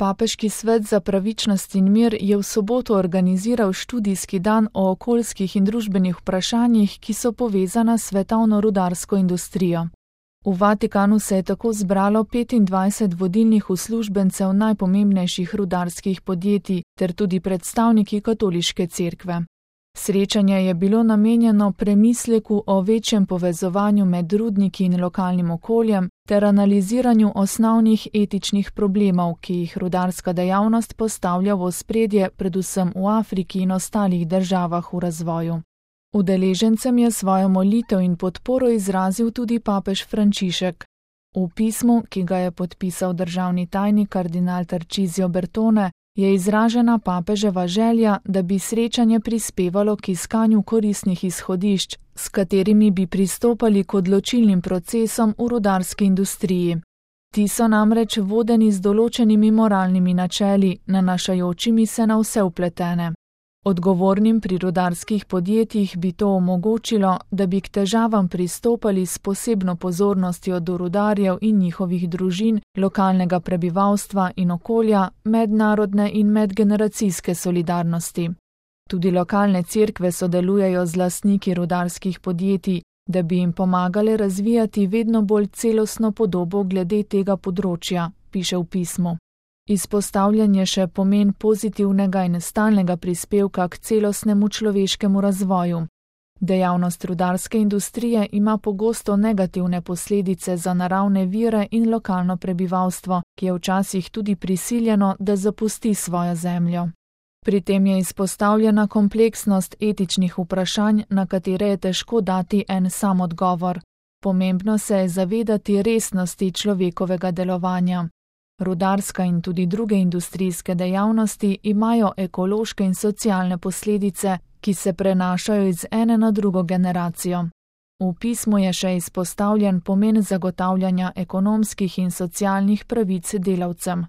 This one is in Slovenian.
Papeški svet za pravičnost in mir je v soboto organiziral študijski dan o okoljskih in družbenih vprašanjih, ki so povezana s svetovno rudarsko industrijo. V Vatikanu se je tako zbralo 25 vodilnih uslužbencev najpomembnejših rudarskih podjetij ter tudi predstavniki katoliške cerkve. Srečanje je bilo namenjeno premisleku o večjem povezovanju med rudniki in lokalnim okoljem ter analiziranju osnovnih etičnih problemov, ki jih rudarska dejavnost postavlja v ospredje predvsem v Afriki in ostalih državah v razvoju. Udeležencem je svojo molitev in podporo izrazil tudi papež Frančišek. V pismu, ki ga je podpisal državni tajnik kardinal Tarcisio Bertone, je izražena papeževa želja, da bi srečanje prispevalo k iskanju koristnih izhodišč, s katerimi bi pristopali k odločilnim procesom v rudarski industriji. Ti so namreč vodeni z določenimi moralnimi načeli, nanašajočimi se na vse vpletene. Odgovornim pri rudarskih podjetjih bi to omogočilo, da bi k težavam pristopali s posebno pozornostjo do rudarjev in njihovih družin, lokalnega prebivalstva in okolja, mednarodne in medgeneracijske solidarnosti. Tudi lokalne cerkve sodelujejo z lastniki rudarskih podjetij, da bi jim pomagale razvijati vedno bolj celostno podobo glede tega področja, piše v pismu. Izpostavljen je še pomen pozitivnega in stalnega prispevka k celostnemu človeškemu razvoju. Dejavnost rudarske industrije ima pogosto negativne posledice za naravne vire in lokalno prebivalstvo, ki je včasih tudi prisiljeno, da zapusti svojo zemljo. Pri tem je izpostavljena kompleksnost etičnih vprašanj, na katere je težko dati en sam odgovor. Pomembno se je zavedati resnosti človekovega delovanja. Rudarska in tudi druge industrijske dejavnosti imajo ekološke in socialne posledice, ki se prenašajo iz ene na drugo generacijo. V pismu je še izpostavljen pomen zagotavljanja ekonomskih in socialnih pravic delavcem.